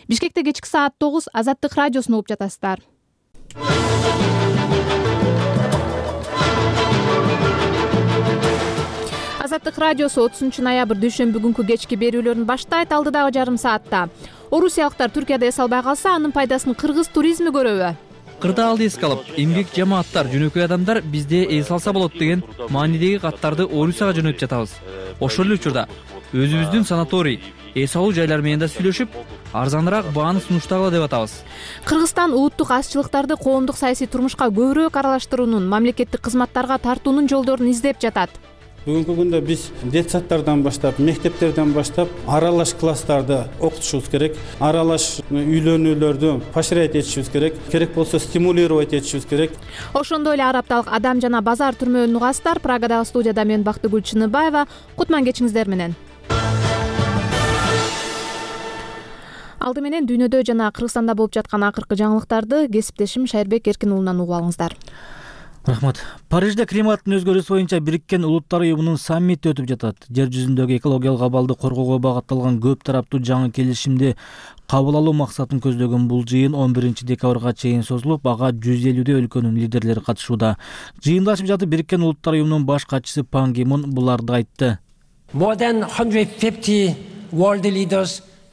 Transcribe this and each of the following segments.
Бишкекте кечки саат 9 Азаттык радиосун угуп жатасыздар. Азаттык радиосу 30 ноябрь дүйшөмбү күнкү кечки берүүлөрүн баштайт. Алдыдагы жарым саатта орусиялыктар Түркияда эс албай калса, анын пайдасын кыргыз туризми көрөбү? Кырдаалды эске алып, эмгек жамааттар, жөнөкөй адамдар бизде эс алса болот деген маанидеги каттарды Орусияга жөнөтүп жатабыз. Ошол эле учурда өзүбүздүн санаторий, эс алуу жайлары менен да сүйлөшүп, арзаныраак бааны сунуштагыла деп атабыз. Кыргызстан улуттук азчылыктарды коомдук саясий турмушка көбүрөөк аралаштыруунун, мамлекеттик кызматтарга тартуунун жолдорун издеп жатат. Бүгүнкү күндө биз детсадтардан баштап, мектептерден баштап аралаш класстарды окутушубуз керек. Аралаш үйлөнүүлөрдү поощрять этишибиз керек. Керек болсо стимулировать этишибиз керек. Ошондой эле Ар апталык Адам жана базар түрмөөнүн угасыздар. Прагадагы студияда мен Бактыгүл Чыныбаева. Кутман кечиңиздер менен. Алды менен дүйнөдө жана Кыргызстанда болуп жаткан акыркы жаңылыктарды кесиптешим Шайырбек Эркин уулунан угуп алыңыздар. Рахмат. Парижде климаттын өзгөрүүсү боюнча Бириккен Улуттар уюмунун саммити өтүп жатат. Жер жүзүндөгү экологиялык абалды коргоого багытталган көп тараптуу жаңы келишимди кабыл алуу максатын көздөгөн бул жыйын 11 декабрга чейин созулуп, ага 150 өлкөнүн лидерлери катышууда. Жыйындашып жатып Бириккен Улуттар уюмунун баш катчысы Пан Ги Мун буларды айтты.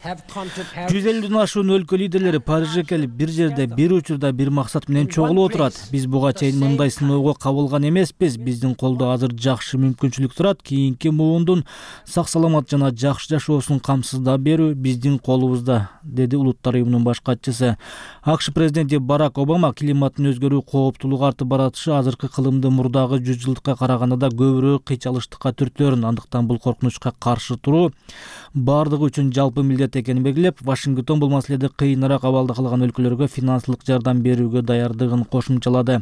150ден ашуун өлкө лидерлери Парижге келип, бир жерде, бир учурда, бир максат менен чогулуп отурат. Биз буга чейин мындай сыноого кабылган эмеспиз. Биздин колдо азыр жакшы мүмкүнчүлүк турат. Кийинки муундун сак-саламат жана жакшы жашоосун камсыздап берүү биздин колубузда, деди Улуттар уюмунун баш катчысы. АКШ президенти Барак Обама климаттын өзгөрүү кооптуулугу артып баратышы азыркы кылымды мурдагы 100 жылдыкка караганда да көбүрөөк кыйчалыштыкка түртөөрүн, андыктан бул коркунучка каршы туруу бардыгы үчүн жалпы милдет экенин белгилеп, Вашингтон бул маселеде кыйыныраак абалда калган өлкөлөргө финансылык жардам берүүгө даярдыгын кошумчалады.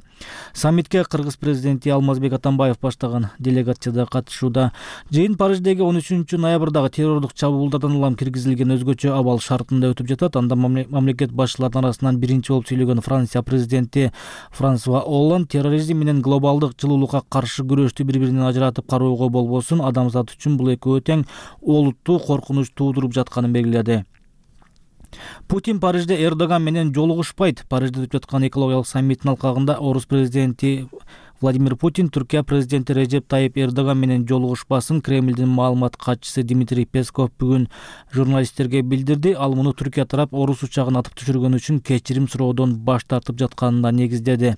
Саммитке Кыргыз президенти Алмазбек Атамбаев баштаган делегация да катышууда. Жыйын Париждеги 13 ноябрдагы террордук чабуулдардан улам киргизилген өзгөчө абал шартында өтүп жатат. Анда мамлекет башчыларынын арасынан биринчи болуп сүйлөгөн Франция президенти Франсуа Олланд терроризм менен глобалдык жылуулукка каршы күрөштү бири-биринен ажыратып кароого болбосун, адамзат үчүн бул экөө тең олуттуу коркунуч туудуруп жатканын белгиледи. Путин Парижде Эрдоган менен жолугушпайт. Парижде өтүп жаткан экологиялык саммиттин алкагында орус президенти Владимир Путин Түркия президенти Режеп Тайип Эрдоган менен жолугушпасын Кремлдин маалымат катчысы Дмитрий Песков бүгүн журналисттерге билдирди. Ал муну Түркия тарап орус учагын атып түшүргөн үчүн кечирим суроодон баш тартып жатканына негиздеди.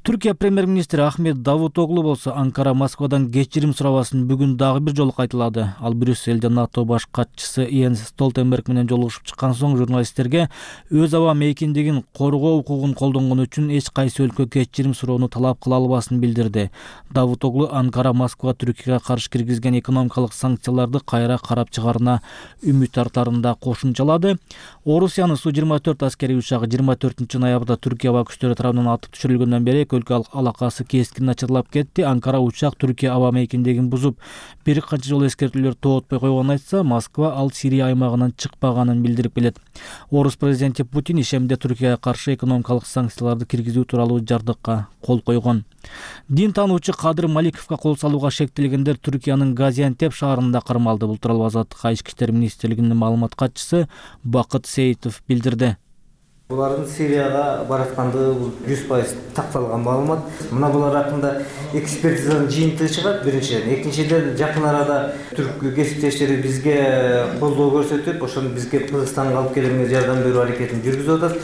Түркия премьер-министри Ахмет Давутоглу болсо Анкара Москвадан кечирим сурабасын бүгүн дагы бир жолу кайталады. Ал Брюссельде НАТО баш катчысы Йенс Столтенберг менен жолугушуп чыккан соң журналисттерге өз аба мейкиндигин коргоо укугун колдонгон үчүн эч кайсы өлкө кечирим суроону талап кыла албасын билдирди. Давутоглу Анкара Москва Түркияга каршы киргизген экономикалык санкцияларды кайра карап чыгарына үмүт артарын да кошумчалады. Орусиянын Су-24 аскерий учагы 24 ноябрда Түркия аба күчтөрү тарабынан атып түшүрүлгөндөн бери өлкө алакасы кескин начарлап кетти. Анкара учак Түркия аба мейкиндигин бузуп, бир канча жолу эскертүүлөр тоотпой койгонун айтса, Москва ал Сирия аймагынан чыкпаганын билдирип келет. Орус президенти Путин ишемде Түркияга каршы экономикалык санкцияларды киргизүү тууралуу жардыкка кол койгон. Дин таануучу Кадыр Маликовго кол салууга шектелгендер Түркиянын Газиантеп шаарында кармалды. Бул тууралуу Азаттык Ички иштер министрлигинин маалымат катчысы Бакыт Сейитов билдирди. Булардын Сирияга бараткандыгы 100% такталган маалымат. Мына булар хакында экспертизанын жыйынтыгы чыгат биринчиден. Экинчиден жакын арада түрк кесиптештери бизге колдоо көрсөтүп, ошону бизге Кыргызстанга алып келүүгө жардам берүү аракетин жүргүзүп атат,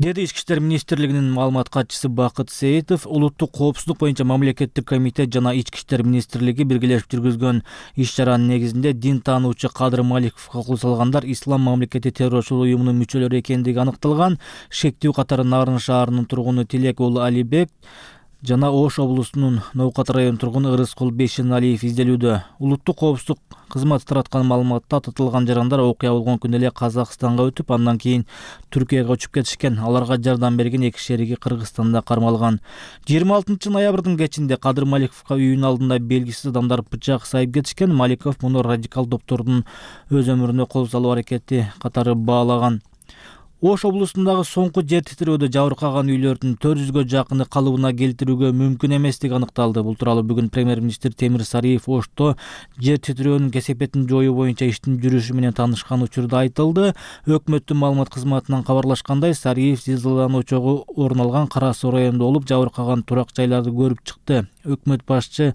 деди Ички иштер министрлигинин маалымат катчысы Бакыт Сейитов. Улуттук коопсуздук боюнча мамлекеттик комитет жана Ички иштер министрлиги биргелешип жүргүзгөн иш-чаранын негизинде дин таануучу Кадыр Маликовго кол салгандар Ислам мамлекети террорчулук уюмунун мүчөлөрү экендиги аныкталган. Шектүү катары Нарын шаарынын тургуну Тилек уулу Алибек жана Ош облусунун Ноокат районунун тургуну Ырыскул Бейшеналиев изделүүдө. Улуттук коопсуздук кызматы тараткан маалыматта татылган жарандар окуя болгон күнү эле Казакстанга өтүп, андан кийин Түркияга учуп кетишкен. Аларга жардам берген эки шериги Кыргызстанда кармалган. 26 ноябрдын кечинде Кадыр Маликовго үйүнүн алдында белгисиз адамдар бычак сайып кетишкен. Маликов муну радикал топтордун өз өмүрүнө кол салуу аракети катары баалаган. Ош облусундагы соңку жер титирөөдө жабыркаган үйлөрдүн 400гө жакыны калыбына келтирүүгө мүмкүн эместиги аныкталды. Бул тууралуу бүгүн премьер-министр Темир Сариев Ошто жер титирөөнүн кесепетин жоюу боюнча иштин жүрүшү менен таанышкан учурда айтылды. Өкмөттүн маалымат кызматынан кабарлашкандай, Сариев зилзаланын очогу орун алган Кара Суу районунда болуп, жабыркаган турак жайларды көрүп чыкты. Өкмөт башчы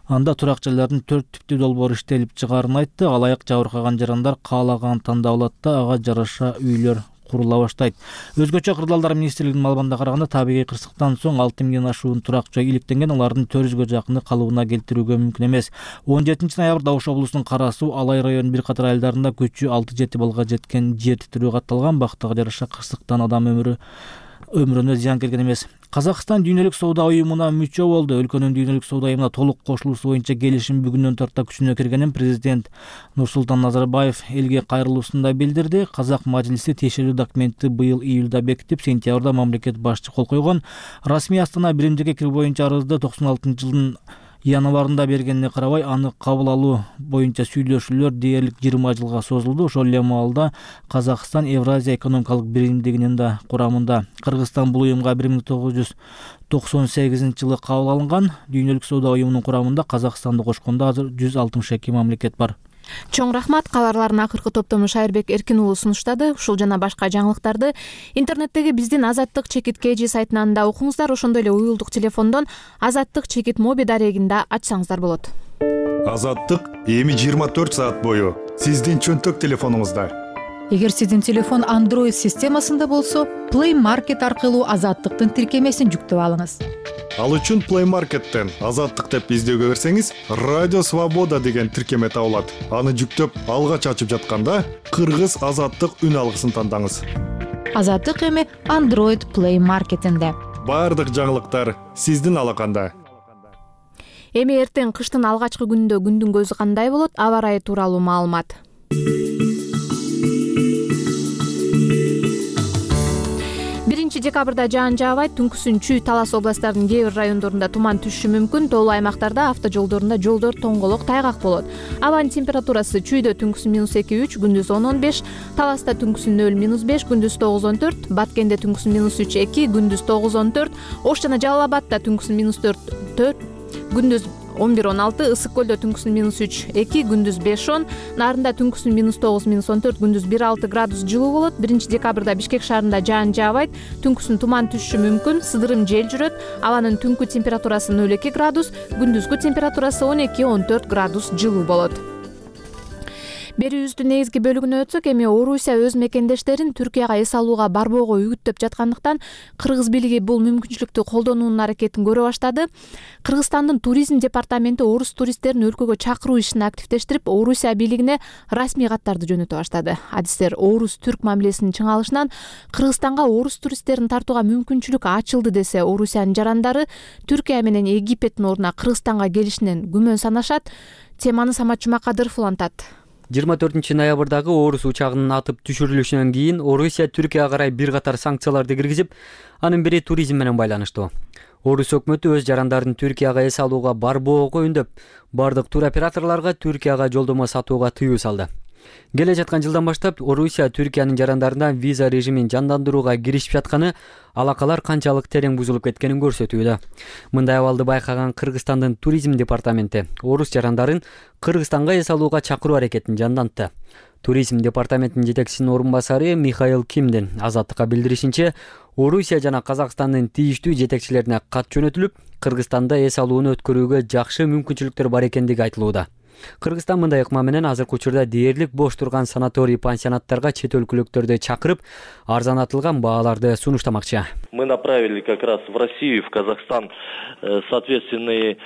анда турак жайлардын 4 типтүү долбоору иштелип чыгаарын айтты. Алайык жабыркаган жарандар каалаганын тандап алат да ага жараша үйлөр курула баштайт. Өзгөчө кырдаалдар министрлигинин маалыматына караганда, табигый кырсыктан соң 6 миңден ашуун турак жай иликтенген, алардын 400гө жакыны калыбына келтирүүгө мүмкүн эмес. 17-ноябрда Ош облусунун Кара Суу, Алай районунун бир катар айылдарында күчү 6-7 баллга жеткен жер титирөө катталган. Бактыга жараша кырсыктан адам өмүрүнө зыян келген эмес. Казакстан дүйнөлүк соода уюмуна мүчө болду. Өлкөнүн дүйнөлүк соода уюмуна толук кошулуусу боюнча келишим бүгүндөн тарта күчүнө киргенин президент Нурсултан Назарбаев элге кайрылуусунда билдирди. Казак мажлиси тиешелүү документти быйыл июлда бекитип, сентябрда мамлекет башчы кол койгон. Расмий Астана биримдикке кирүү боюнча арызды 96-жылдын январында бергенине карабай, аны кабыл алуу боюнча сүйлөшүүлөр дээрлик 20 жылга созулду. Ошол эле маалда Казакстан Евразия экономикалык биримдигинин да курамында. Кыргызстан бул уюмга 1998-жылы кабыл алынган. Дүйнөлүк соода уюмунун курамында Казакстанды кошкондо азыр 162 мамлекет бар. Чоң рахмат. Кабарлардын акыркы топтомун Шайырбек Эркин уулу сунуштады. Ушул жана башка жаңылыктарды интернеттеги биздин Азаттык чекит KG сайтынан да окуңуздар. Ошондой эле уюлдук телефондон Азаттык чекит моби дарегин да ачсаңыздар болот. Азаттык эми 24 саат бою сиздин чөнтөк телефонуңузда. Эгер сиздин телефон Android системасында болсо, Play Market аркылуу Азаттыктын тиркемесин жүктөп алыңыз. Ал үчүн Play Market'тен Азаттык деп издөөгө берсеңиз, Радио Свобода деген тиркеме табылат. Аны жүктөп, алгач ачып жатканда Кыргыз Азаттык үн алгысын тандаңыз. Азаттык эми Android Play Market'инде. Бардык жаңылыктар сиздин алаканда. Эми эртең кыштын алгачкы күнүндө күндүн көзү кандай болот? Аба ырайы тууралуу маалымат. 1-декабрда жаан жаабайт. Түнкүсүн Чүй, Талас областарынын кээ бир райондорунда туман түшүшү мүмкүн. Тоолуу аймактарда, автожолдорунда жолдор тоңголок, тайгак болот. Абанын температурасы Чүйдө түнкүсүн -2-3, күндүз 10-15, Таласта түнкүсүн 0-5, күндүз 9-14, Баткенде түнкүсүн -3-2, күндүз 9-14, Ош жана Жалал-Абадта түнкүсүн -4, күндүз 11-16, Ысык көлдө түнкүсүн -3-2, күндүз 5-10, Нарында түнкүсүн -9-14, күндүз 1-6 градус жылуу болот. 1-декабрда Бишкек шаарында жаан жаабайт. Түнкүсүн туман түшүшү мүмкүн, сыдырым жел жүрөт. Абанын түнкү температурасы 0-2 градус, күндүзгү температурасы 12-14 градус жылуу болот. Берүүбүздүн негизги бөлүгүнө өтсөк, эми Орусия өз мекендештерин Түркияга эс алууга барбоого үгүттөп жаткандыктан Кыргыз бийлиги бул мүмкүнчүлүктү колдонуунун аракетин көрө баштады. Кыргызстандын туризм департаменти орус туристтерин өлкөгө чакыруу ишин активдештирип, Орусия бийлигине расмий каттарды жөнөтө баштады. Адистер орус-түрк мамилесинин чыңалышынан Кыргызстанга орус туристтерин тартууга мүмкүнчүлүк ачылды десе, Орусиянын жарандары Түркия менен Египеттин ордуна Кыргызстанга келишинен күмөн санашат. Теманы Самат Жумакадыров улантат. 24-ноябрдагы орус учагынын атып түшүрүлүшүнөн кийин Орусия Түркияга карай бир катар санкцияларды киргизип, анын бири туризм менен байланыштуу. Орус өкмөтү өз жарандарын Түркияга эс алууга барбоого үндөп, бардык туроператорлорго Түркияга жолдомо сатууга тыюу салды. Келе жаткан жылдан баштап Орусия Түркиянын жарандарынан виза режимин жандандырууга киришип жатканы алакалар канчалык терең бузулуп кеткенин көрсөтүүдө. Мындай абалды байкаган Кыргызстандын туризм департаменти орус жарандарын Кыргызстанга эс алууга чакыруу аракетин жандантты. Туризм департаментинин жетекчисинин орун басары Михаил Кимдин Азаттыкка билдиришинче, Орусия жана Казакстандын тийиштүү жетекчилерине кат жөнөтүлүп, Кыргызстанда эс алууну өткөрүүгө жакшы мүмкүнчүлүктөр бар экендиги айтылууда. Кыргызстан мындай ыкма менен азыркы учурда дээрлик бош турган санаторий пансионаттарга чет өлкөлүктөрдү чакырып, арзанатылган бааларды сунуштамакчы. Мы направили как раз в Россию, в Казахстан соответственные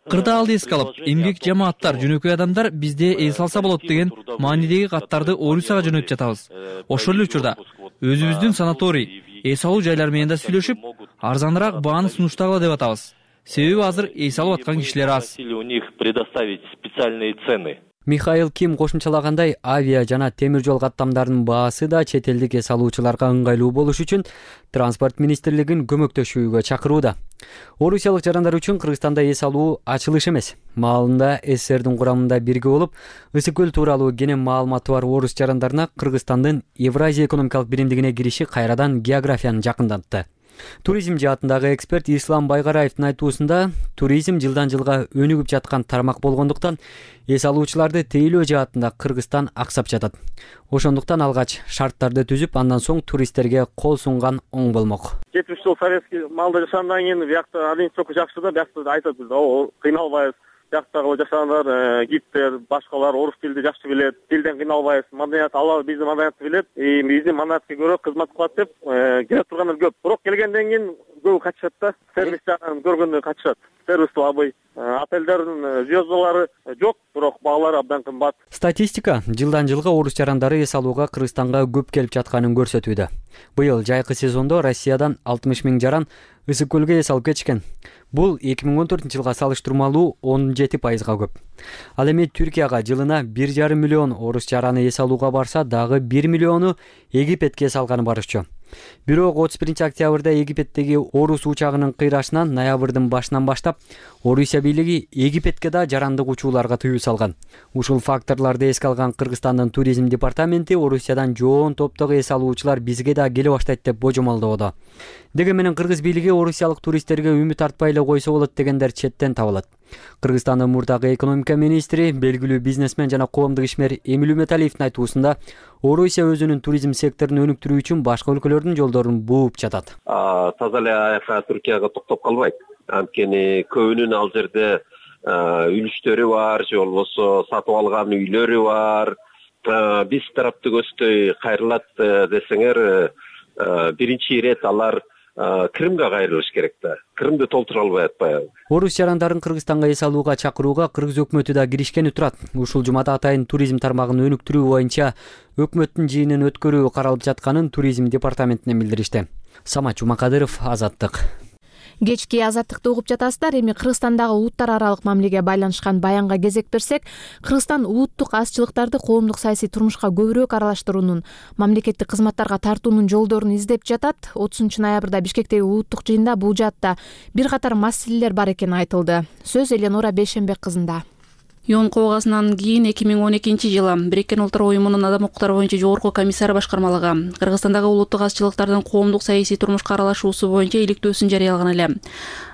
Кырдаалды эске алып, эмгек жамааттар, жөнөкөй адамдар бизде эс алса болот деген маанидеги каттарды Орусияга жөнөтүп жатабыз. Ошол эле учурда өзүбүздүн санаторий, эс алуу жайлары менен да сүйлөшүп, арзаныраак бааны сунуштагыла деп атабыз. Себеби азыр эс алып аткан кишилер аз. У них предоставить специальные цены. Михаил Ким кошумчалагандай, авиа жана темир жол каттамдарынын баасы да чет элдик эс алуучуларга ыңгайлуу болуш үчүн Транспорт министрлигин көмөктөшүүгө чакырууда. Орусиялык жарандар үчүн Кыргызстанда эс алуу ачылыш эмес. Маалында СССРдин курамында бирге болуп, Ысык көл тууралуу кенен маалыматы бар орус жарандарына Кыргызстандын Евразия экономикалык биримдигине кириши кайрадан географияны жакындатты. Туризм жаатындагы эксперт Ислам Байгараевдин айтуусунда, туризм жылдан жылга өнүгүп жаткан тармак болгондуктан эс алуучуларды тейлөө жаатында Кыргызстан аксап жатат. Ошондуктан алгач шарттарды түзүп, андан соң туристтерге кол сунган оң болмок. 70 жыл советский маалда жашагандан кийин биякта администрация жакшы да, биякта айтат биз, кыйналбайбыз. Бияктагы жашагандар, гидтер, башкалар орус тилди жакшы билет, тилден кыйналбайбыз, маданият алар биздин маданиятты билет, биздин маданиятка көрө кызмат кылат деп келип тургандар көп. Бирок келгенден кийин көбү качышат да, сервис жагын көргөндө качышат. Сервис албай, отелдердин звездалары жок, бирок баалары абдан кымбат. Статистика жылдан жылга орус жарандары эс алууга Кыргызстанга көп келип жатканын көрсөтүүдө. Быйыл жайкы сезондо Россиядан 60 000 жаран Ысык көлгө эс алып кетишкен. Бул 2014 жылга салыштырмалуу 17%га көп. Ал эми Түркияга жылына 1,5 миллион орус жараны эс алууга барса, дагы 1 миллиону Египетке эс алганы барышчу. Бирок 31 октябрда Египеттеги орус учагынын кыйрашынан ноябрдын башынан баштап Орусия бийлиги Египетке да жарандык учууларга тыюу салган. Ушул факторлорду эске алган Кыргызстандын туризм департаменти Орусиядан жоон топтогу эс алуучулар бизге да келе баштайт деп божомолдоодо. Деге менен кыргыз бийлиги орусиялык туристтерге үмүт артпай эле койсо болот дегендер четтен табылат. Кыргызстандын мурдагы экономика министри, белгилүү бизнесмен жана коомдук ишмер Эмил Үмөталиевдин айтуусунда, Орусия өзүнүн туризм секторун өнүктүрүү үчүн башка өлкөлөрдүн жолдорун бууп жатат. Таза эле аяка Түркияга токтоп калбайт. Анткени көбүнүн ал жерде үлүштөрү бар, же болбосо сатып алган үйлөрү бар. Биз тараптуу көздөй кайрылат десеңер, биринчи ирет алар Крымга кайрылыш керек да. Крымды толтура албай атпайбы. Орус жарандарын Кыргызстанга эс алууга чакырууга кыргыз өкмөтү да киришкени турат. Ушул жумада атайын туризм тармагын өнүктүрүү боюнча өкмөттүн жыйынын өткөрүү каралып жатканын туризм департаментинен билдиришти. Самат Жумакадыров, Азаттык. Кечки Азаттыкты угуп жатасыздар. Эми Кыргызстандагы улуттар аралык мамилеге байланышкан баянга кезек берсек, Кыргызстан улуттук азчылыктарды коомдук саясий турмушка көбүрөөк аралаштыруунун, мамлекеттик кызматтарга тартуунун жолдорун издеп жатат. 30 ноябрда Бишкектеги улуттук жыйында бул жаатта бир катар маселелер бар экени айтылды. Сөз Эленора Бейшенбек кызында. ЮН коогасынан кийин 2012-жылы Бириккен Улуттар Уюмунун адам укуктары боюнча жогорку комиссары башкармалыгы Кыргызстандагы улуттук азчылыктардын коомдук саясий турмушка аралашуусу боюнча иликтөөсүн жарыялаган эле.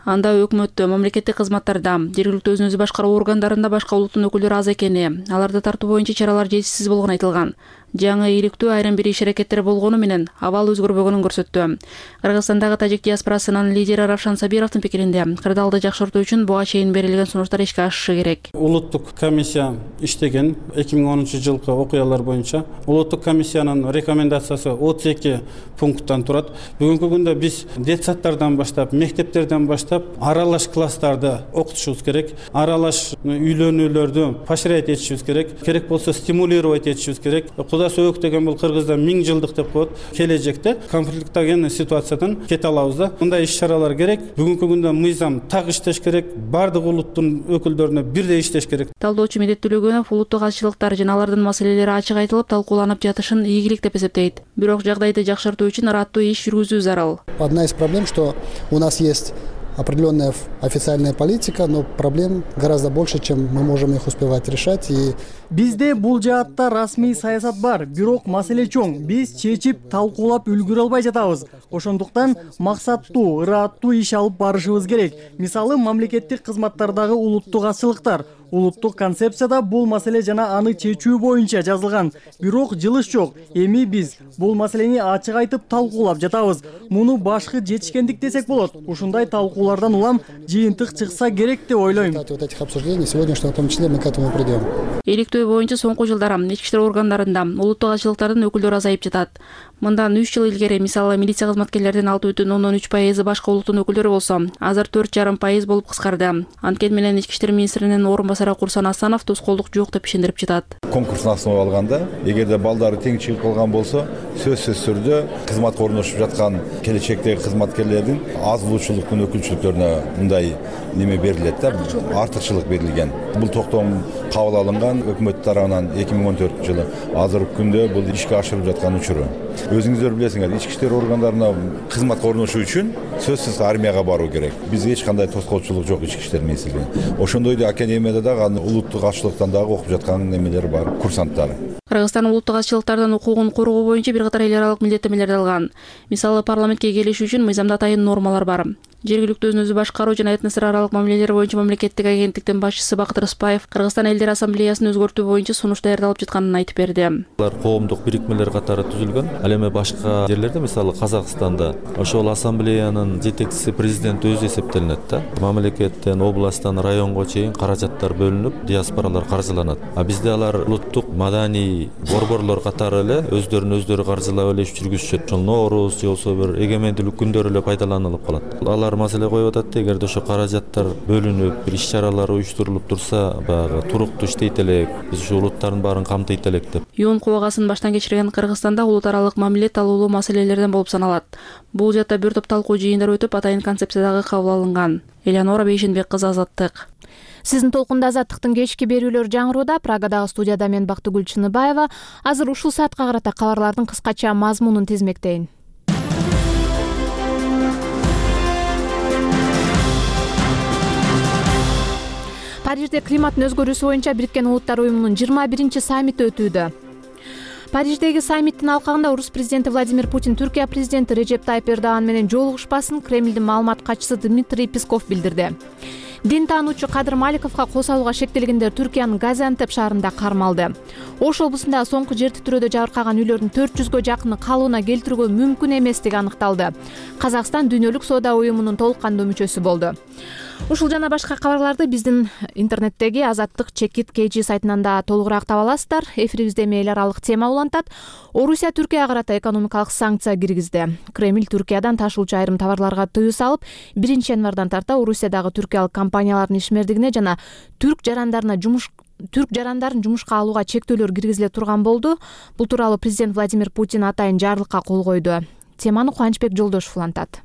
Анда өкмөттө, мамлекеттик кызматтарда, жергиликтүү өзүн өзү башкаруу органдарында башка улуттун өкүлдөрү аз экени, аларды тартуу боюнча чаралар жетишсиз болгону айтылган. Жаңы иликтөө айрым бир иш-аракеттер болгону менен абал өзгөрбөгөнүн көрсөттү. Кыргызстандагы тажик диаспорасынын лидери Равшан Сабировдун пикиринде, кырдаалды жакшыртуу үчүн буга чейин берилген сунуштар ишке ашышы керек. Улуттук комиссия иштеген 2010 жылкы окуялар боюнча улуттук комиссиянын рекомендациясы 32 пункттан турат. Бүгүнкү күндө биз детсадтардан баштап, мектептерден баштап аралаш класстарды окутушубуз керек. Аралаш үйлөнүүлөрдү поощрять этишибиз керек. Керек болсо стимулировать этишибиз керек. Куда сөөк деген бул Кыргызда 1000 жылдык деп коет. Келечекте конфликттеген ситуациядан кете алабыз да. Мындай иш-чаралар керек. Бүгүнкү күндө мыйзам так иштеш керек. Бардык улуттун өкүлдөрүнө бирдей иштеш керек. Талдоочу Медет Төлөгөнов улуттук азчылыктар жана алардын маселелери ачык айтылып, талкууланып жатышын ийгилик деп эсептейт. Бирок жагдайды жакшыртуу үчүн ыраттуу иш жүргүзүү зарыл. Одна из проблем, что у нас есть определенная официальная политика, но проблем гораздо больше, чем мы можем их успевать решать. И бизде бул жаатта расмий саясат бар, бирок маселе чоң. Биз чечип, талкуулап үлгүрө албай жатабыз. Ошондуктан максаттуу, ыраттуу иш алып барышыбыз керек. Мисалы, мамлекеттик кызматтардагы улуттук азчылыктар. Улуттук концепцияда бул маселе жана аны чечүү боюнча жазылган. Бирок жылыш жок. Эми биз бул маселени ачык айтып талкуулап жатабыз. Муну башкы жетишкендик десек болот. Ушундай талкуулардан улам жыйынтык чыкса керек деп ойлойм. Вот этих обсуждений сегодняшнего, в том числе, мы к этому придем. Иликтөө боюнча соңку жылдары ички иштер органдарында улуттук азчылыктардын өкүлдөрү азайып жатат. Мындан 3 жыл илгери, мисалы, милиция кызматкерлердин 6,3% башка улуттун өкүлдөрү болсо, азыр 4,5% болуп кыскарды. Анткени менен ички иштер министринин орун басары Курсан Асанов тоскоолдук жок деп ишендирип жатат. Конкурстун основа алганда, эгерде балдары тең чыгып калган болсо, сөзсүз түрдө кызматка орношуп жаткан келечектеги кызматкерлердин аз булуучулуктун өкүлчүлүктөрүнө мындай неме берилет да, артыкчылык берилген. Бул токтом кабыл алынган өкмөт тарабынан 2014-жылы. Азыркы күндө бул ишке ашырылып жаткан учуру. Өзүңүздөр билесиңер, ички иштер органдарына кызматка орношуу үчүн сөзсүз армияга баруу керек. Бизде эч кандай тоскоолчулук жок ички иштер министрлиги. Ошондой эле академияда дагы улуттук азчылыктан дагы окуп жаткан немелер бар, курсанттар. Кыргызстан улуттук азчылыктардын укугун коргоо боюнча бир катар эл аралык милдеттенмелерди алган. Мисалы, парламентке келишүү үчүн мыйзамда атайын нормалар бар. Жергиликтүү өзүн өзү башкаруу жана этностор аралык мамилелер боюнча мамлекеттик агенттиктин башчысы Бакыт Рыспаев Кыргызстан элдер ассамблеясын өзгөртүү боюнча сунуш даярдалып жатканын айтып берди. Алар коомдук бирикмелер катары түзүлгөн. Ал эми башка жерлерде, мисалы Казакстанда, ошол ассамблеянын жетекчиси президент өзү эсептелинет да. Мамлекеттен, областтан, районго чейин каражаттар бөлүнүп, диаспоралар каржыланат. А бизде алар улуттук маданий борборлор катары эле өздөрүн каржылап эле иш жүргүзүшөт. Ошол Ноорус же болбосо бир эгемендүүлүк күндөрү эле пайдаланылып калат. Алар маселе коюп атат, эгерде ошо каражаттар бөлүнүп, бир иш-чаралар уюштурулуп турса, баягы туруктуу иштейт элек, биз ушу улуттардын баарын камтыйт элек деп. Юун кубагасын баштан кечирген Кыргызстанда улут аралык мамиле талуулуу маселелерден болуп саналат. Бул жакта бир топ талкуу жыйындар өтүп, атайын концепция дагы кабыл алынган. Элеонора Бейшенбек кызы, Азаттык. Сиздин толкунда Азаттыктын кечки берүүлөрү жаңырууда. Прагадагы студияда мен Бактыгүл Чыныбаева. Азыр ушул саатка карата кабарлардын кыскача мазмунун тизмектейин. Парижде климаттын өзгөрүүсү боюнча Бириккен Улуттар Уюмунун 21-чи саммити өтүүдө. Париждеги саммиттин алкагында орус президенти Владимир Путин Түркия президенти Режеп Тайып Эрдоган менен жолугушпасын Кремлдин маалымат катчысы Дмитрий Песков билдирди. Дин таануучу Кадыр Маликовго кол салууга шектелгендер Түркиянын Газиантеп шаарында кармалды. Ош облусундагы соңку жер титирөөдө жабыркаган үйлөрдүн 400гө жакыны калыбына келтирүүгө мүмкүн эместиги аныкталды. Казакстан Дүйнөлүк соода уюмунун толук кандуу мүчөсү болду. Ушул жана башка кабарларды биздин интернеттеги Азаттык Чекит KG сайтынан да толугураак таба аласыздар. Эфирибизде эл аралык тема улантат. Орусия Түркияга карата экономикалык санкция киргизди. Кремль Түркиядан ташуучу айрым товарларга тыюу салып, 1-январдан тарта Орусиядагы түркиялык компаниялардын ишмердигине жана түрк жарандарын жумушка алууга чектөөлөр киргизиле турган болду. Бул тууралуу президент Владимир Путин атайын жарлыкка кол койду. Теманы Кубанычбек Жолдошов улантат.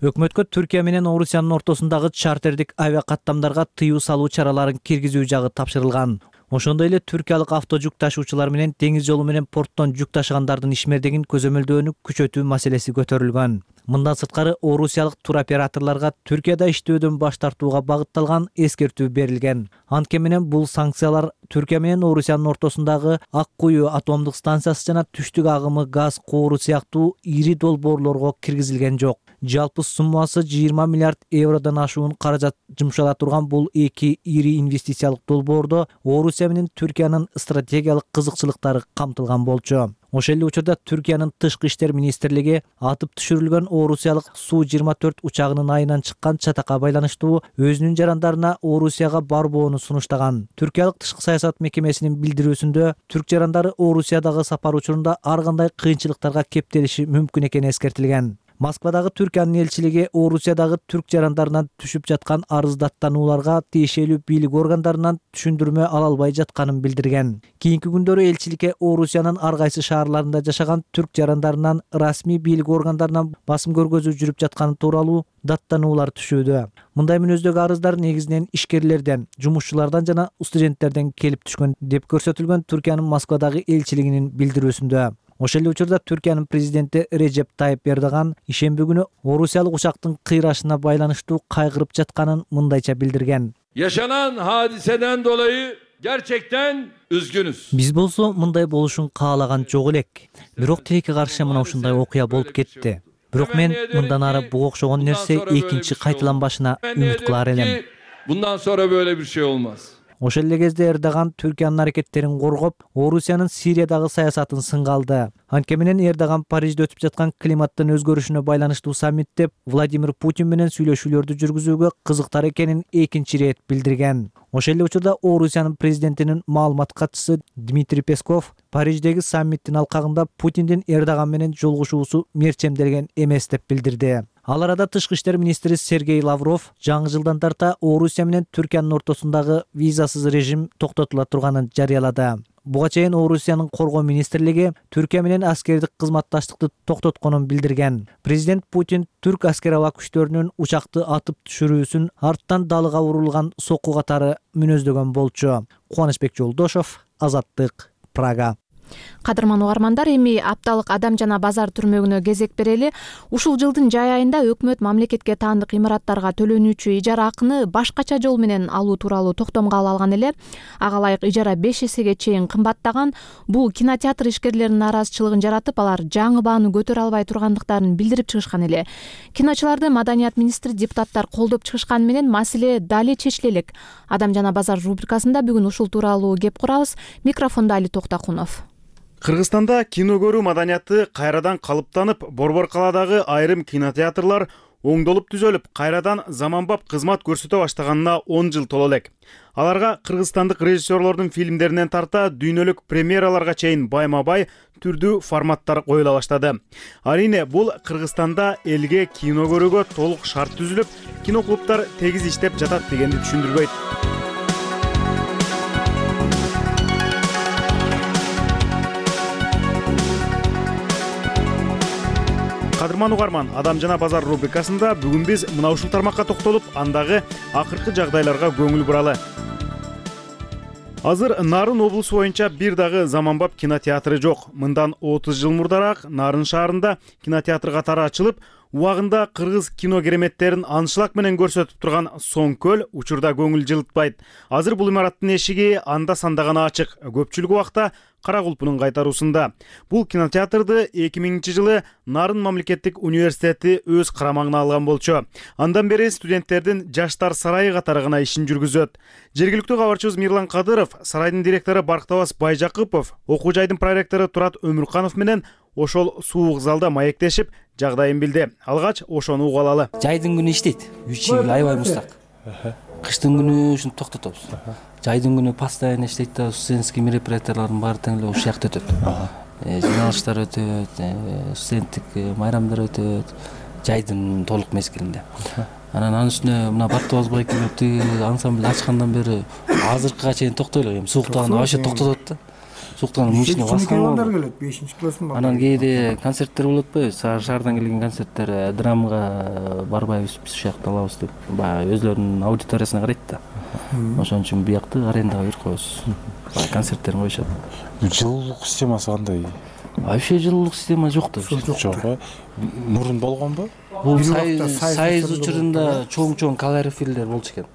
Өкмөткө Түркия менен Орусиянын ортосундагы чартердик авиа каттамдарга тыюу салуу чараларын киргизүү жагы тапшырылган. Ошондой эле түркиялык авто жүк ташуучулар менен деңиз жолу менен порттон жүк ташыгандардын ишмердигин көзөмөлдөөнү күчөтүү маселеси көтөрүлгөн. Мындан сырткары орусиялык туроператорлорго Түркияда иштөөдөн баш тартууга багытталган эскертүү берилген. Анткени менен бул санкциялар Түркия менен Орусиянын ортосундагы Ак Куюу атомдук станциясы жана түштүк агымы газ коору сыяктуу ири долбоорлорго киргизилген жок. Жалпы суммасы 20 миллиард евродон ашуун каражат жумшала турган бул эки ири инвестициялык долбоордо Орусия менен Түркиянын стратегиялык кызыкчылыктары камтылган болчу. Ошол эле учурда Түркиянын тышкы иштер министрлиги атып түшүрүлгөн Орусиялык Су-24 учагынын айынан чыккан чатакка байланыштуу өзүнүн жарандарына Орусияга барбоону сунуштаган. Түркиялык тышкы саясат мекемесинин билдирүүсүндө түрк жарандары Орусиядагы сапар учурунда ар кандай кыйынчылыктарга кептелиши мүмкүн экени эскертилген. Москвадагы Түркиянын элчилиги Орусиядагы түрк жарандарынан түшүп жаткан арыздаттанууларга тиешелүү бийлик органдарынан түшүндүрмө ала албай жатканын билдирген. Кийинки күндөрү элчиликке Орусиянын ар кайсы шаарларында жашаган түрк жарандарынан расмий бийлик органдарынан басым көргөзүү жүрүп жатканы тууралуу даттануулар түшүүдө. Мындай мүнөздөгү арыздар негизинен ишкерлерден, жумушчулардан жана студенттерден келип түшкөн деп көрсөтүлгөн Түркиянын Москвадагы элчилигинин билдирүүсүндө. Ошол эле учурда Түркиянын президенти Режеп Тайып Эрдоган ишемби күнү орусиялык учактын кыйрашына байланыштуу кайгырып жатканын мындайча билдирген. Yaşanan hadiseden dolayı gerçekten üzgünüz. Биз болсо мындай болушун каалаган жок элек. Бирок тилекке каршы мына ушундай окуя болуп кетти. Бирок мен мындан ары буга окшогон нерсе экинчи кайталанбашына үмүт кылар элем. Bundan sonra böyle bir şey olmaz. Ошол эле кезде Эрдоган Түркиянын аракеттерин коргоп, Орусиянын Сириядагы саясатын сынга алды. Анткени менен Эрдоган Парижде өтүп жаткан климаттын өзгөрүшүнө байланыштуу саммитте Владимир Путин менен сүйлөшүүлөрдү жүргүзүүгө кызыктар экенин экинчи ирет билдирген. Ошол эле учурда Орусиянын президентинин маалымат катчысы Дмитрий Песков Париждеги саммиттин алкагында Путиндин Эрдоган менен жолугушуусу мерчемделген эмес деп билдирди. Ал арада тышкы иштер министри Сергей Лавров жаңы жылдан тарта Орусия менен Түркиянын ортосундагы визасыз режим токтотула турганын жарыялады. Буга чейин Орусиянын коргоо министрлиги Түркия менен аскердик кызматташтыкты токтотконун билдирген. Президент Путин түрк аскер аба күчтөрүнүн учакты атып түшүрүүсүн арттан далыга урулган сокку катары мүнөздөгөн болчу. Кубанычбек Жолдошов, Азаттык, Прага. Кадырман угармандар, эми апталык Адам жана базар түрмөгүнө кезек берели. Ушул жылдын жай айында өкмөт мамлекетке таандык имараттарга төлөнүүчү ижара акыны башкача жол менен алуу тууралуу токтомго ала алган эле. Ага ылайык ижара 5 эсеге чейин кымбаттаган. Бул кинотеатр ишкерлеринин нааразычылыгын жаратып, алар жаңы бааны көтөрө албай тургандыктарын билдирип чыгышкан эле. Киночуларды маданият министри депутаттар колдоп чыгышканы менен маселе дали чечиле элек. Адам жана базар рубрикасында бүгүн ушул тууралуу кеп курабыз. Микрофондо Али Токтакунов. Кыргызстанда кино көрүү маданияты кайрадан калыптанып, Борбор калаадагы айрым кинотеатрлар оңдолуп түзөлүп, кайрадан заманбап кызмат көрсөтө баштаганына 10 жыл толо элек. Аларга кыргызстандык режиссерлордун фильмдеринен тарта дүйнөлүк премьераларга чейин байма-бай түрдүү форматтар коюла баштады. Арине бул Кыргызстанда элге кино көрүүгө толук шарт түзүлүп, киноклубтар тегиз иштеп жатат дегенди түшүндүрбөйт. Кадырман угарман, Адам жана базар рубрикасында бүгүн биз мына ушул тармакка токтолуп, андагы акыркы жагдайларга көңүл буралы. Азыр Нарын облусу боюнча бир дагы заманбап кинотеатры жок. Мындан 30 жыл мурдараак Нарын шаарында кинотеатр катары ачылып, убагында кыргыз кино кереметтерин аншлаг менен көрсөтүп турган Соң көл учурда көңүл жылытпайт. Азыр бул имараттын эшиги анда-санда гана ачык. Көпчүлүк убакта Кара Кулпунун кайтаруусунда. Бул кинотеатрды 2000-жылы Нарын мамлекеттик университети өз карамагына алган болчу. Андан бери студенттердин жаштар сарайы катары гана ишин жүргүзөт. Жергиликтүү кабарчыбыз Мирлан Кадыров, сарайдын директору Барктабас Байжакыпов, окуу жайдын проректору Турат Өмүрканов менен ошол суук залда маектешип, жагдайын билди. Алгач ошону угуп алалы. Жайдын күнү иштейт. 3 жыл аябай муздак. Кыштын күнү ушуну токтотобуз. Жайдын күнү постоянно иштейт да, студенческий мероприятиялардын баары тең эле ушул жакта өтөт. Жыйналыштар өтөт, студенттик майрамдар өтөт. Жайдын толук мезгилинде. Анан үстүнө мына Барктабас байке ансамбль ачкандан бери азыркыга чейин токтой элек. Эми сууктаганда вообще токтотот да. Сууктан мышыны баскан келет 5-классын. Анан кээде концерттер болот го, шаардан келген концерттер, драмага барбайбыз, биз ушул жакта алабыз деп. Баягы өзлөрүнүн аудиториясына карайт да. Ошон үчүн буякты арендага берип коебуз. Концерттерин коюшат. Жылуулук системасы кандай? Вообще жылуулук система жок да. Жок. Мурун болгонбу? Бул сайыз учурунда чоң калорифилдер болчу экен.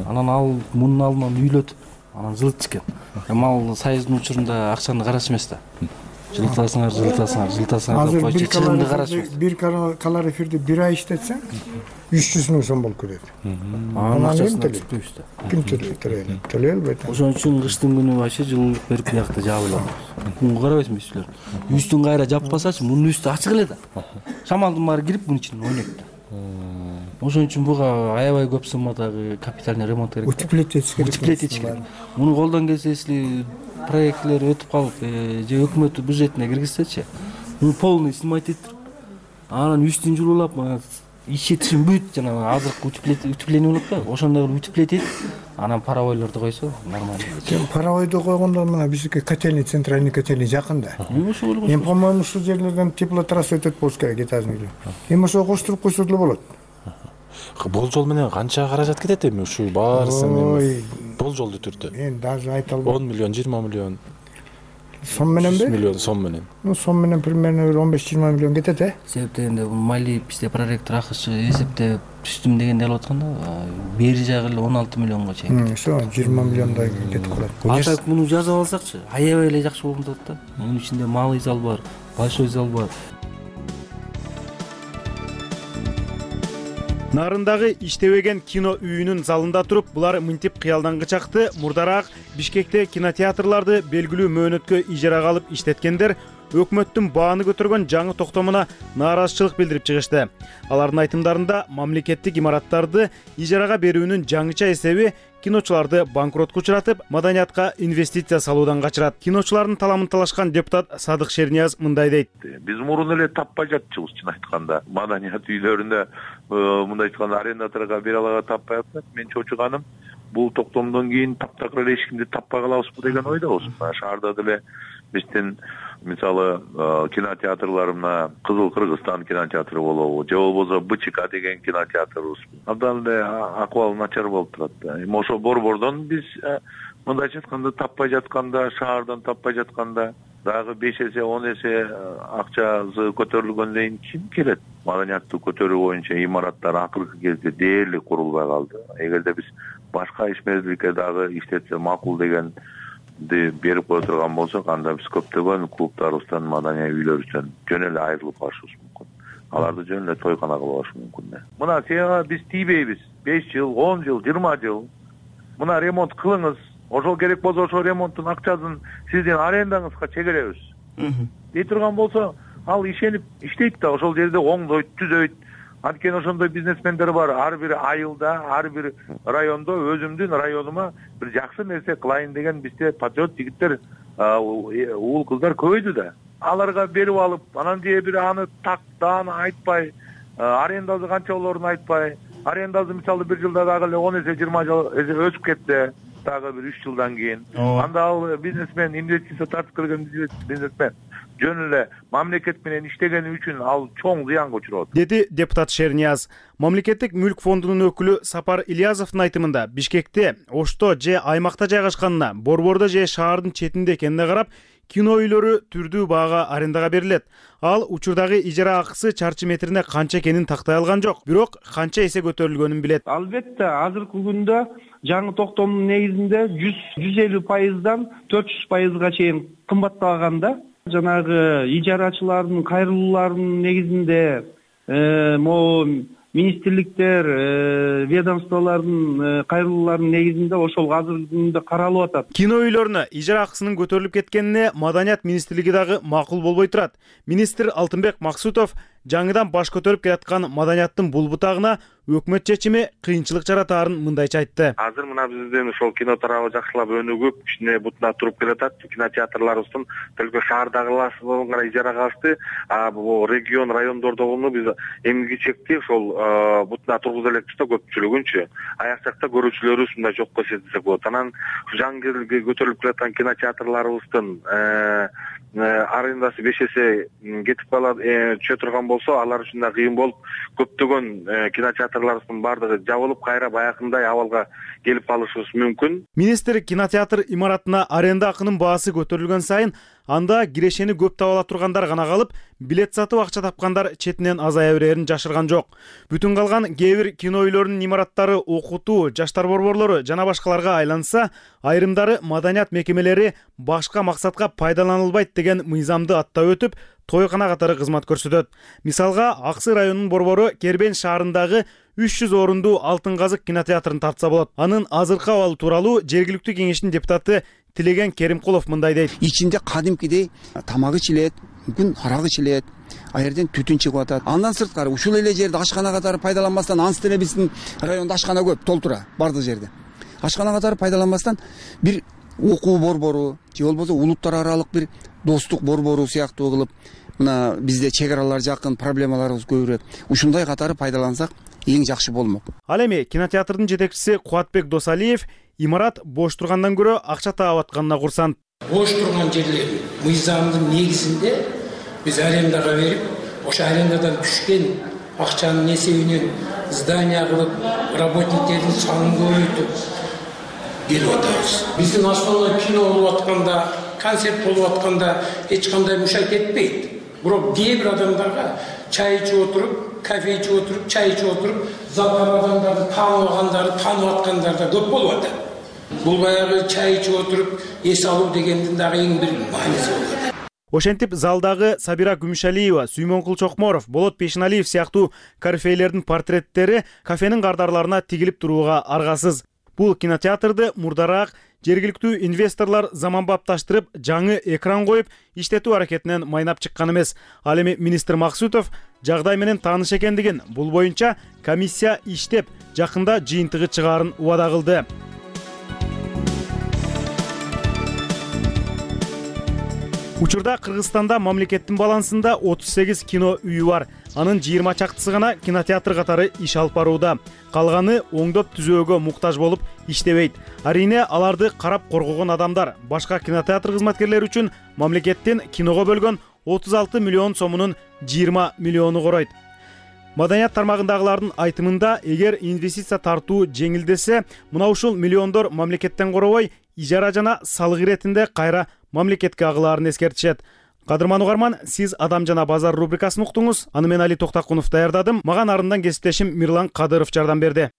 Анан ал мунун алдынан үйлөтүп, анан жылытчу экен. Эми ал сайыздын учурунда акчаны караш эмес да. Жылытасыңар деп койчу, чыгымды карашпайт. Бир калорифирди 1 ай иштетсең 300 миң сом болуп кетет. Анан акчасын түшпөйбүз да. Ким төлөй албайт. Ошон үчүн кыштын күнү вообще жылуулук берип буякты жаап алабыз. Күнгө карабайсыңбы силер? Үстүн кайра жаппасачы, мунун үстү ачык эле да. Шамалдын баары кирип мунун ичинен ойнойт да. Ошон үчүн буга аябай көп суммадагы капитальный ремонт керек. Утеплетить керек. Муну колдон келсе, если проектлер өтүп калып, же өкмөт бюджетине киргизсечи, муну полный снимать этип, анан үстүн жуулап, ичи тишин бүт жана азыркы утепление болот да, ошондой утеплетить этип, анан паровойлорду койсо нормально. Паровойду койгондо мына биздики котельный, центральный котельный жакында. Эми по-моему ушул жерлерден теплотрасса өтөт болуш керек этажный. Эми ошо коштуруп койсо деле болот. Болжол менен канча каражат кетет эми ушул баарысын? Болжолдуу түрдө. Мен даже айта албайм. 10 миллион, 20 миллион. Сом мененби? 100 миллион сом менен. Сом менен примерно 15-20 миллион кетет, Себеп дегенде Мали бизде проректор акчы эсептеп түштүм дегенде алып атканда, бери жагы эле 16 миллионго чейин. Ошо 20 миллиондай кетип калат. Атак муну жазып алсакчы, аябай эле жакшы болуп атат да. Мунун ичинде малый зал бар, большой зал бар. Нарындагы иштебеген кино үйүнүн залында туруп, булар мынтип кыялдангы чакты. Мурдараак Бишкекте кинотеатрларды белгилүү мөөнөткө ижарага алып иштеткендер өкмөттүн бааны көтөргөн жаңы токтомуна нааразычылык билдирип чыгышты. Алардын айтымдарында мамлекеттик имараттарды ижарага берүүнүн жаңыча эсеби киночуларды банкротко учуратып, маданиятка инвестиция салуудан качырат. Киночулардын таламын талашкан депутат Садык Шернияз мындай дейт. Биз мурун эле таппай жатчыбыз, чын айтканда. Маданият үйлөрүндө мындай айтканда арендаторго бере алага таппай атат. Мен чочуганым бул токтомдон кийин таптакыр эле эч кимди таппай калабызбы деген ойдобуз. Шаарда деле биздин мисалы кинотеатрлар мына Кызыл Кыргызстан кинотеатры болобу, же болбосо БЧК деген кинотеатрыбыз. Абдан эле акыбал начар болуп турат. Ошо борбордон биз мындайча айтканда таппай жатканда, шаардан таппай жатканда дагы 5 эсе 10 эсе акчасы көтөрүлгөндөн кийин ким келет? Маданиятты көтөрүү боюнча имараттар акыркы кезде дээрлик курулбай калды. Эгерде биз башка ишмердикке дагы иштетсе макул деген берип кое турган болсок, анда биз көптөгөн клубтарыбыздан, маданий үйлөрүбүздөн жөн эле айрылып калышыбыз мүмкүн. Аларды жөн эле тойкана кылып алыш мүмкүн. Мына сага биз тийбейбиз. 5 жыл, 10 жыл, 20 жыл. Мына ремонт кылыңыз. Ошол керек болсо ошол ремонттун акчасын сиздин арендаңызга чегеребиз. Дей турган болсо, ал ишенип иштейт да, ошол жерде оңдойт, түзөйт. Анткени ошондой бизнесмендер бар. Ар бир айылда, ар бир райондо өзүмдүн районума бир жакшы нерсе кылайын деген бизде патриот жигиттер, уул кыздар көбөйдү да. Аларга берип алып, анан же бир аны дааны айтпай, арендасы канча болоорун айтпай, арендасы мисалы бир жылда дагы эле 10 эсе 20 эсе өсүп кетсе, дагы бир 3 жылдан кийин, анда ал бизнесмен, инвестиция тартып келген бизнесмен жөн эле мамлекет менен иштегени үчүн ал чоң зыянга учурат, деди депутат Шернияз. Мамлекеттик мүлк фондунун өкүлү Сапар Ильязовдун айтымында Бишкекте, Ошто же аймакта жайгашканына, борбордо же шаардын четинде экенине карап, кино үйлөрү түрдүү баага арендага берилет. Ал учурдагы ижара акысы чарчы метрине канча экенин тактай алган жок, бирок канча эсе көтөрүлгөнүн билет. Албетте, азыркы күндө жаңы токтомдун негизинде 150%дан 400%га чейин кымбатталганда, жанагы ижарачылардын кайрылууларынын негизинде могу министрликтер, ведомстволордун кайрылууларынын негизинде ошол азыркы күндө каралып атат. Кино үйлөрүнө ижара акысынын көтөрүлүп кеткенине Маданият министрлиги дагы макул болбой турат. Министр Алтынбек Максутов жаңыдан баш көтөрүп келаткан маданияттын бул бутагына өкмөт чечими кыйынчылык жаратаарын мындайча айтты. Азыр мына биздин ошол кино тарабы жакшылап өнүгүп, кичине бутуна туруп келатат. Кинотеатрларыбыздын только шаардагыларын гана ижарага алышты. Бул регион, райондордогуну биз эмгиги чекти ошол бутуна тургуза элекпиз да көпчүлүгүнчү. Аяк жакта көрүүчүлөрүбүз мындай жокко сезилсек болот. Анан жаңы көтөрүлүп келаткан кинотеатрларыбыздын арендасы 5 эсе кетип калат, түшө турган болсо, алар үчүн да кыйын болуп, көптөгөн кинотеатрларыбыздын баардыгы жабылып, кайра баягындай абалга келип калышыбыз мүмкүн. Министр кинотеатр имаратына аренда акынын баасы көтөрүлгөн сайын анда кирешени көп таба ала тургандар гана калып, билет сатып акча тапкандар четинен азая берерин жашырган жок. Бүтүн калган кээ бир кино үйлөрүнүн имараттары окутуу, жаштар борборлору жана башкаларга айланса, айрымдары маданият мекемелери башка максатка пайдаланылбайт деген мыйзамды аттап өтүп, тойкана катары кызмат көрсөтөт. Мисалга, Аксы районунун борбору Кербен шаарындагы 300 орунду Алтын казык кинотеатрын тартса болот. Анын азыркы абалы тууралуу жергиликтүү кеңештин депутаты Тилеген Керимкулов мындай дейт. Ичинде кадимкидей тамак ичилет, мүмкүн арак ичилет, аерден түтүн чыгып атат. Андан сырткары ушул эле жерде ашкана катары пайдаланбастан, ансы деле биздин райондо ашкана көп, толтура, бардык жерде. Ашкана катары пайдаланбастан бир окуу борбору, же болбосо улуттар аралык бир достук борбору сыяктуу кылып, мына бизде чек аралар жакын, проблемаларыбыз көбүрөөк. Ушундай катары пайдалансак эң жакшы болмок. Ал эми кинотеатрдын жетекчиси Кубатбек Досалиев имарат бош тургандан көрө акча таап атканына курсант. Бош турган жерлерди мыйзамдын негизинде биз арендага берип, ошо арендадан түшкөн акчанын эсебинен здание кылып, работниктердин санын көбөйтүп берип атабыз. Биздин основной кино болуп атканда, концерт болуп атканда эч кандай мушайт этпейт. Бирок кээ бир адамдарга чай ичип отуруп, кофе ичип отуруп, чай ичип отуруп, залга адамдарды таанып аткандар да көп болуп атат. Бул баягы чай ичип отуруп эс алуу дегендин дагы эң бир мааниси болуп атат. Ошентип залдагы Сабира Күмүшалиева, Сүймөнкул Чокморов, Болот Пешиналиев сыяктуу корифейлердин портреттери кафенин кардарларына тигилип турууга аргасыз. Бул кинотеатрды мурдараак жергиликтүү инвесторлор заманбапташтырып жаңы экран коюп иштетүү аракетинен майнап чыккан эмес. Ал эми министр Максутов жагдай менен тааныш экендигин, бул боюнча комиссия иштеп, жакында жыйынтыгы чыгаарын убада кылды. Учурда Кыргызстанда мамлекеттин балансында 38 кино үйү бар. Анын 20 чактысы гана кинотеатр катары иш алып барууда. Калганы оңдоп түзөөгө муктаж болуп иштебейт. Арине аларды карап коргогон адамдар. Башка кинотеатр кызматкерлери үчүн мамлекеттин киного бөлгөн 36 миллион сомунун 20 миллиону коройт. Маданият тармагындагылардын айтымында, эгер инвестиция тартуу жеңилдесе, мына ушул миллиондор мамлекеттен коробой, ижара жана салык иретинде кайра мамлекетке агылаарын эскертишет. Кадырман угарман, сиз Адам жана базар рубрикасын уктуңуз. Аны мен Али Токтакунов даярдадым. Мага нарындан кесиптешим Мирлан Кадыров жардам берди.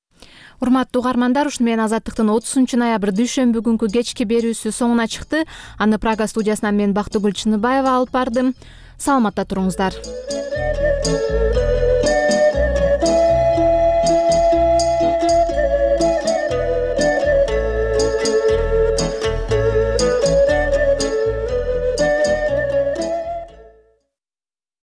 Урматтуу угармандар, ушуну менен Азаттыктын 30-ноябрь дүйшөмбү күнкү кечки берүүсү соңуна чыкты. Аны Прага студиясынан мен Бактыгүл Чыныбаева алып бардым. Саламатта туруңуздар.